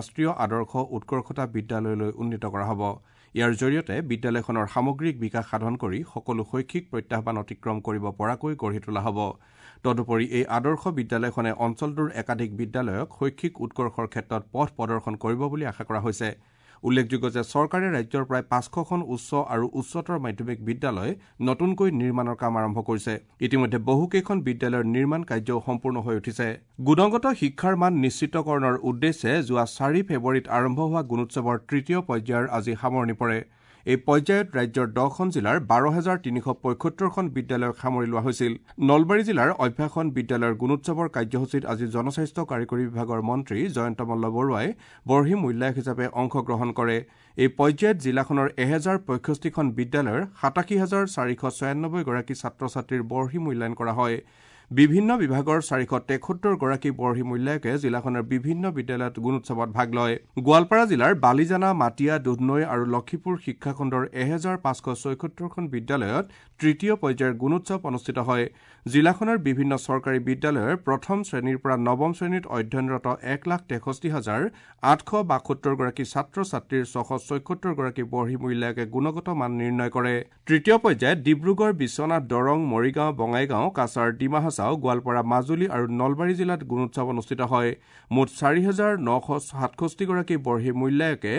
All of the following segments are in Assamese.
ৰাষ্ট্ৰীয় আদৰ্শ উৎকৰ্ষতা বিদ্যালয়লৈ উন্নীত কৰা হ'ব। ইয়াৰ জৰিয়তে বিদ্যালয়খনৰ সামগ্ৰিক বিকাশ সাধন কৰি সকলো শৈক্ষিক প্ৰত্যাহ্বান অতিক্ৰম কৰিব পৰাকৈ গঢ়ি তোলা হ'ব। তদুপৰি এই আদৰ্শ বিদ্যালয়খনে অঞ্চলটোৰ একাধিক বিদ্যালয়ক শৈক্ষিক উৎকৰ্ষৰ ক্ষেত্ৰত পথ প্ৰদৰ্শন কৰিব বুলি আশা কৰা হৈছে। উল্লেখযোগ্য যে চৰকাৰে ৰাজ্যৰ প্ৰায় 500খন উচ্চ আৰু উচ্চতৰ মাধ্যমিক বিদ্যালয় নতুনকৈ নিৰ্মাণৰ কাম আৰম্ভ কৰিছে। ইতিমধ্যে বহুকেইখন বিদ্যালয়ৰ নিৰ্মাণ কাৰ্যও সম্পূৰ্ণ হৈ উঠিছে। গুণগত শিক্ষাৰ মান নিশ্চিতকৰণৰ উদ্দেশ্যে যোৱা 4 ফেব্ৰুৱাৰীত আৰম্ভ হোৱা গুণোৎসৱৰ তৃতীয় পৰ্যায়ৰ আজি সামৰণি পৰে। এই পৰ্যায়ত ৰাজ্যৰ 10খন জিলাৰ 12,375খন বিদ্যালয়ক সামৰি লোৱা হৈছিল। নলবাৰী জিলাৰ অভ্যাসন বিদ্যালয়ৰ গুণোৎসৱৰ কাৰ্যসূচীত আজি জনস্বাস্থ্য কাৰিকৰী বিভাগৰ মন্ত্ৰী জয়ন্ত মল্ল বৰুৱাই বৰ্হি মূল্যায়ক হিচাপে অংশগ্ৰহণ কৰে। এই পৰ্যায়ত জিলাখনৰ 1065খন বিদ্যালয়ৰ 87,496 গৰাকী ছাত্ৰ ছাত্ৰীৰ বৰ্হি মূল্যায়ন কৰা হয়। বিভিন্ন বিভাগৰ 473 গৰাকী বৰ্হি মূল্যায়কে জিলাখনৰ বিভিন্ন বিদ্যালয়ত গুণোৎসৱত ভাগ লয়। গোৱালপাৰা জিলাৰ বালিজানা, মাটিয়া, দুধনৈ আৰু লক্ষীপুৰ শিক্ষাখণ্ডৰ 1576খন বিদ্যালয়ত তৃতীয় পৰ্যায়ৰ গুণোৎসৱ অনুষ্ঠিত হয়। জিলাখনৰ বিভিন্ন চৰকাৰী বিদ্যালয়ৰ প্ৰথম শ্ৰেণীৰ পৰা নৱম শ্ৰেণীত অধ্যয়নৰত 1,63,872 গৰাকী ছাত্ৰ ছাত্ৰীৰ 676 গৰাকী বৰ্হি মূল্যায়কে গুণগত মান নিৰ্ণয় কৰে। তৃতীয় পৰ্যায়ত ডিব্ৰুগড়, বিশ্বনাথ, দৰং, মৰিগাঁও, বঙাইগাঁও, কাছাৰ, ডিমা হাছাও, গোৱালপাৰা, মাজুলী আৰু নলবাৰী জিলাত গুণোৎসৱ অনুষ্ঠিত হয়। মুঠ 4,967 গৰাকী বৰ্হি মূল্যায়কে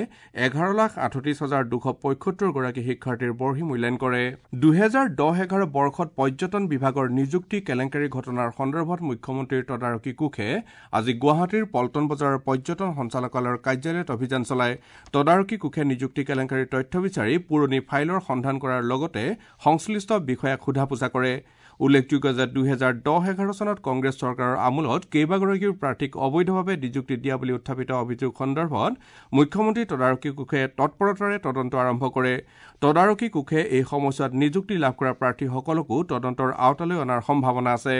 11,38,275 গৰাকী শিক্ষাৰ্থীৰ বৰ্হি মূল্যায়ন কৰে। 2010-11 বৰ্ষত পৰ্যটন বিভাগৰ নিযুক্তি কেলেংকাৰী ঘটনাৰ সন্দৰ্ভত মুখ্যমন্ত্ৰীৰ তদাৰকী কোষে আজি গুৱাহাটীৰ পল্টন বজাৰৰ পৰ্যটন সঞ্চালকালয়ৰ কাৰ্যালয়ত অভিযান চলায়। তদাৰকী কোষে নিযুক্তি কেলেংকাৰীৰ তথ্য বিচাৰি পুৰণি ফাইলৰ সন্ধান কৰাৰ লগতে সংশ্লিষ্ট বিষয়াক সোধা পোছা কৰে। উল্লেখযোগ্য যে 2010-11 চনত কংগ্ৰেছ চৰকাৰৰ আমোলত কেইবাগৰাকীও প্ৰাৰ্থীক অবৈধভাৱে নিযুক্তি দিয়া বুলি উত্থাপিত অভিযোগ সন্দৰ্ভত মুখ্যমন্ত্ৰী তদাৰকী কোষে তৎপৰতাৰে তদন্ত আৰম্ভ কৰে। তদাৰকী কোষে এই সময়ছোৱাত নিযুক্তি লাভ কৰা প্ৰাৰ্থীসকলকো তদন্তৰ আওতালৈ অনাৰ সম্ভাৱনা আছে।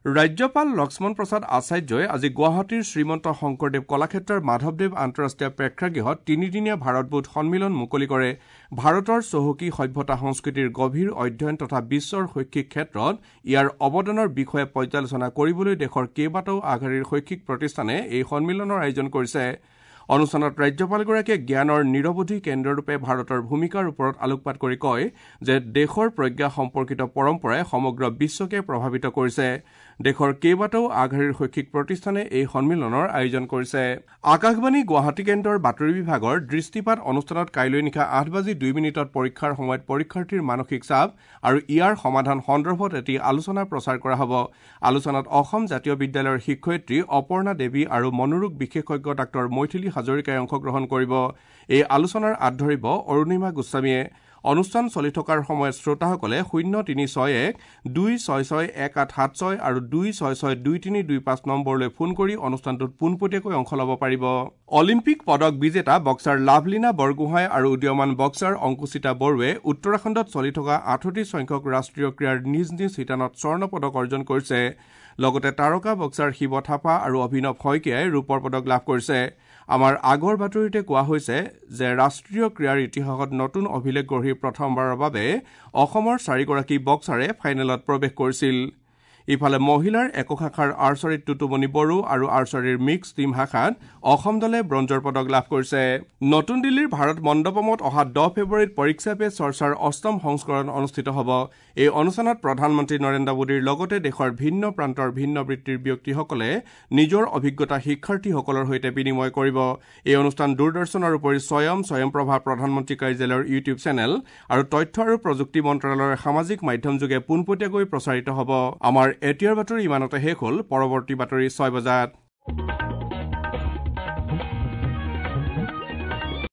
ৰাজ্যপাল লক্ষ্মণ প্ৰসাদ আচাৰ্যই আজি গুৱাহাটীৰ শ্ৰীমন্ত শংকৰদেৱ কলাক্ষেত্ৰৰ মাধৱদেৱ আন্তঃৰাষ্ট্ৰীয় প্ৰেক্ষাগৃহত তিনিদিনীয়া ভাৰতবোধ সন্মিলন মুকলি কৰে। ভাৰতৰ চহকী সভ্যতা সংস্কৃতিৰ গভীৰ অধ্যয়ন তথা বিশ্বৰ শৈক্ষিক ক্ষেত্ৰত ইয়াৰ অৱদানৰ বিষয়ে পৰ্যালোচনা কৰিবলৈ দেশৰ কেইবাটাও আগশাৰীৰ শৈক্ষিক প্ৰতিষ্ঠানে এই সন্মিলনৰ আয়োজন কৰিছে। অনুষ্ঠানত ৰাজ্যপালগৰাকীয়ে জ্ঞানৰ নিৰৱধি কেন্দ্ৰৰূপে ভাৰতৰ ভূমিকাৰ ওপৰত আলোকপাত কৰি কয় যে দেশৰ প্ৰজ্ঞা সম্পৰ্কিত পৰম্পৰাই সমগ্ৰ বিশ্বকে প্ৰভাৱিত কৰিছে। দেশৰ কেইবাটাও আগশাৰীৰ শৈক্ষিক প্ৰতিষ্ঠানে এই সন্মিলনৰ আয়োজন কৰিছে। আকাশবাণী গুৱাহাটী কেন্দ্ৰৰ বাতৰি বিভাগৰ দৃষ্টিপাত অনুষ্ঠানত কাইলৈ নিশা 8:02 পৰীক্ষাৰ সময়ত পৰীক্ষাৰ্থীৰ মানসিক চাপ আৰু ইয়াৰ সমাধান সন্দৰ্ভত এটি আলোচনা প্ৰচাৰ কৰা হ'ব। আলোচনাত অসম জাতীয় বিদ্যালয়ৰ শিক্ষয়িত্ৰী অপৰ্ণা দেৱী আৰু মনোৰোগ বিশেষজ্ঞ ডাঃ মৈথিলী হাজৰিকাই অংশগ্ৰহণ কৰিব। এই আলোচনাৰ আঁত ধৰিব অৰুণিমা গোস্বামীয়ে। অনুষ্ঠান চলি থকাৰ সময়ত শ্ৰোতাসকলে 0361 266 1876 আৰু 266 2325 নম্বৰলৈ ফোন কৰি অনুষ্ঠানটোত পোনপটীয়াকৈ অংশ ল'ব পাৰিব। অলিম্পিক পদক বিজেতা বক্সাৰ লাভলীনা বৰগোহাঁই আৰু উদীয়মান বক্সাৰ অংকুশিতা বড়োৱে উত্তৰাখণ্ডত চলি থকা 38 সংখ্যক ৰাষ্ট্ৰীয় ক্ৰীড়াৰ নিজ নিজ শিতানত স্বৰ্ণ পদক অৰ্জন কৰিছে। লগতে তাৰকা বক্সাৰ শিৱ থাপা আৰু অভিনৱ শইকীয়াই ৰূপৰ পদক লাভ কৰিছে। আমাৰ আগৰ বাতৰিতে কোৱা হৈছে যে ৰাষ্ট্ৰীয় ক্ৰীড়াৰ ইতিহাসত নতুন অভিলেখ গঢ়ি প্ৰথমবাৰৰ বাবে অসমৰ 4গৰাকী বক্সাৰে ফাইনেলত প্ৰৱেশ কৰিছিল। ইফালে মহিলাৰ একক শাখাৰ আৰ্চাৰীত টুটুমণি বড়ো আৰু আৰ্চাৰীৰ মিক্স টীম শাখাত অসম দলে ব্ৰঞ্জৰ পদক লাভ কৰিছে। নতুন দিল্লীৰ ভাৰত মণ্ডপমত অহা 10 ফেব্ৰুৱাৰীত পৰীক্ষা পে চৰ্চাৰ 8ম সংস্কৰণ অনুষ্ঠিত হ'ব। এই অনুষ্ঠানত প্ৰধানমন্ত্ৰী নৰেন্দ্ৰ মোদীৰ লগতে দেশৰ ভিন্ন প্ৰান্তৰ ভিন্ন বৃত্তিৰ ব্যক্তিসকলে নিজৰ অভিজ্ঞতা শিক্ষাৰ্থীসকলৰ সৈতে বিনিময় কৰিব। এই অনুষ্ঠান দূৰদৰ্শনৰ উপৰি স্বয়ং স্বয়ংপ্ৰভা প্ৰধানমন্ত্ৰী কাৰ্যালয়ৰ ইউটিউব চেনেল আৰু তথ্য আৰু প্ৰযুক্তি মন্ত্ৰালয়ৰ সামাজিক মাধ্যমযোগে পোনপটীয়াকৈ প্ৰচাৰিত হ'ব। আমাৰ এতিয়াৰ বাতৰি ইমানতে শেষ হ'ল। পৰৱৰ্তী বাতৰি 6 বজাত।